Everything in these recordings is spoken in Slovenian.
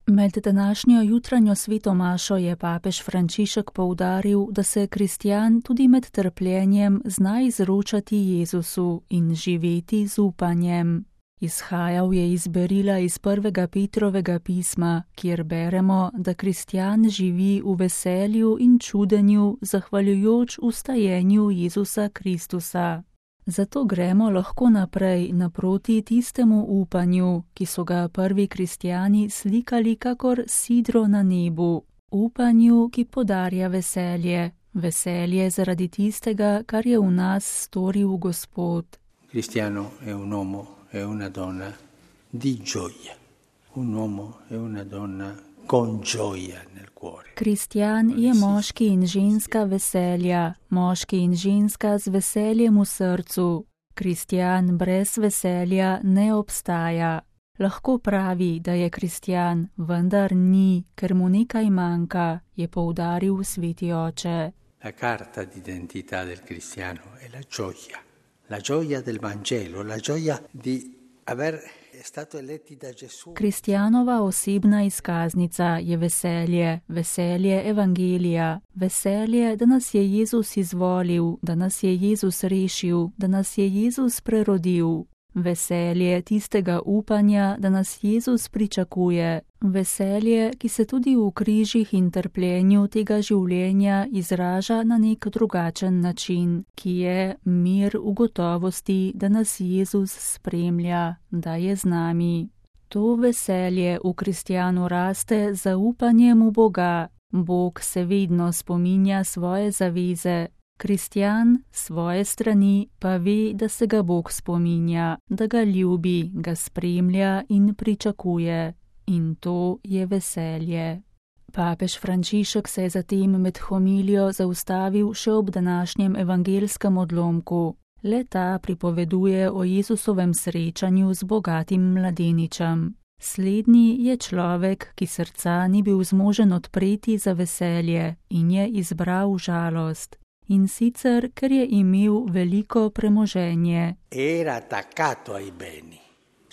Med današnjo jutranjo sveto mašo je papež Frančišek poudaril, da se kristjan tudi med trpljenjem zna izročati Jezusu in živeti z upanjem. Izhajal je iz berila iz 1. Petrovega pisma, kjer beremo, da kristjan živi v veselju in čudenju, zahvaljujoč vstajenju Jezusa Kristusa. Zato gremo lahko naprej naproti tistemu upanju, ki so ga prvi kristjani slikali kakor sidro na nebu, upanju, ki podarja veselje, veselje zaradi tistega, kar je v nas storil Gospod. Cristiano è un uomo e una donna di gioia, un uomo e una donna con gioia nel cuore. Kristjan je moški in ženska veselja, moški in ženska z veseljem v srcu. Kristjan brez veselja ne obstaja. Lahko pravi, da je kristjan, vendar ni, ker mu nekaj manjka, je poudaril sveti oče. La carta d'identità del cristiano è la gioia del Vangelo, la gioia di aver stato eletti da Gesù. Kristjanova osebna izkaznica je veselje, veselje evangelija, veselje, da nas je Jezus izvolil, da nas je Jezus rešil, da nas je Jezus prerodil. Veselje tistega upanja, da nas Jezus pričakuje. Veselje, ki se tudi v križih in trpljenju tega življenja izraža na nek drugačen način, ki je mir v gotovosti, da nas Jezus spremlja, da je z nami. To veselje v kristjanu raste z zaupanjem v Boga. Bog se vedno spominja svoje zaveze. Kristjan svoje strani pa ve, da se ga Bog spominja, da ga ljubi, ga spremlja in pričakuje. In to je veselje. Papež Frančišek se je zatem med homilijo zaustavil še ob današnjem evangelskem odlomku. Le ta pripoveduje o Jezusovem srečanju z bogatim mladeničem. Slednji je človek, ki srca ni bil zmožen odpreti za veselje in je izbral žalost. In sicer, ker je imel veliko premoženje. Era attaccato ai beni.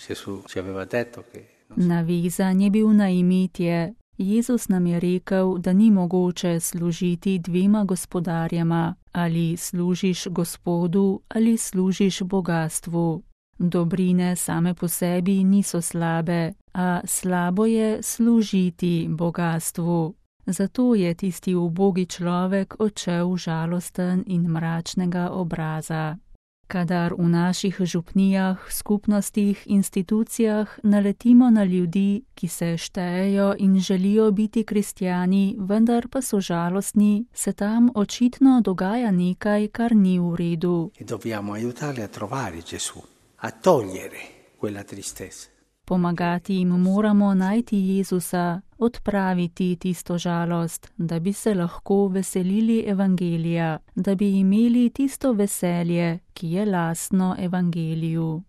Gesù ci aveva detto che Navezan je bil na imetje. Jezus nam je rekel, da ni mogoče služiti dvema gospodarjema, ali služiš Gospodu ali služiš bogastvu. Dobrine same po sebi niso slabe, a slabo je služiti bogastvu. Zato je tisti ubogi človek odšel žalosten in mračnega obraza. Kadar v naših župnijah, skupnostih, institucijah naletimo na ljudi, ki se štejejo in želijo biti kristjani, vendar pa so žalostni, se tam očitno dogaja nekaj, kar ni v redu. e dobbiamo aiutarli a trovare Gesù, a togliere quella tristezza. Pomagati jim moramo najti Jezusa, odpraviti tisto žalost, da bi se lahko veselili evangelija, da bi imeli tisto veselje, ki je lastno evangeliju.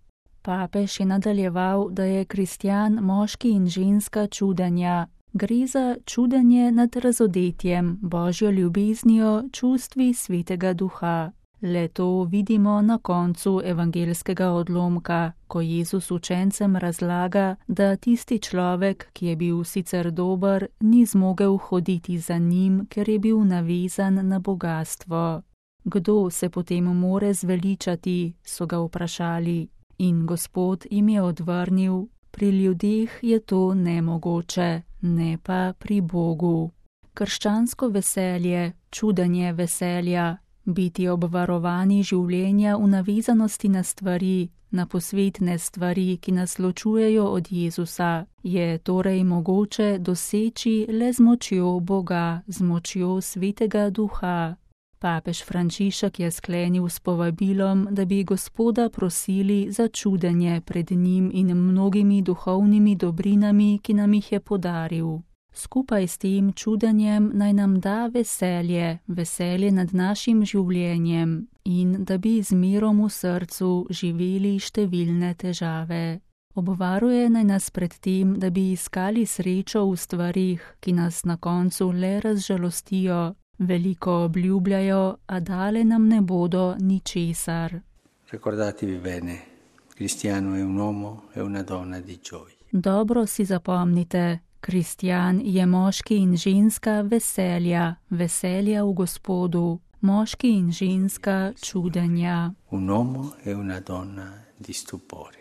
Papež je nadaljeval, da je kristjan moški in ženska čudenja. Gre za čudenje nad razodetjem, Božjo ljubeznijo, čustvi Svetega Duha. Le to vidimo na koncu evangelskega odlomka, ko Jezus učencem razlaga, da tisti človek, ki je bil sicer dober, ni zmogel hoditi za njim, ker je bil navezan na bogastvo. Kdo se potem more zveličati, so ga vprašali. In Gospod jim je odvrnil, pri ljudeh je to nemogoče, ne pa pri Bogu. Krščansko veselje, čudenje veselja, biti obvarovani življenja v navezanosti na stvari, na posvetne stvari, ki nas ločujejo od Jezusa, je torej mogoče doseči le z močjo Boga, z močjo Svetega Duha. Papež Frančišek je sklenil s povabilom, da bi Gospoda prosili za čudenje pred njim in mnogimi duhovnimi dobrinami, ki nam jih je podaril. Skupaj s tem čudenjem naj nam da veselje, veselje nad našim življenjem in da bi z mirom v srcu živeli številne težave. Obvaruje naj nas pred tem, da bi iskali srečo v stvarih, ki nas na koncu le razžalostijo, veliko obljubljajo, a dale nam ne bodo ničesar. Ricordatevi bene, cristiano è un uomo e una donna di gioia. Dobro si zapomnite. Kristjan je moški in ženska veselja, veselja v Gospodu, moški in ženska čudenja. Un uomo e una donna di stupore.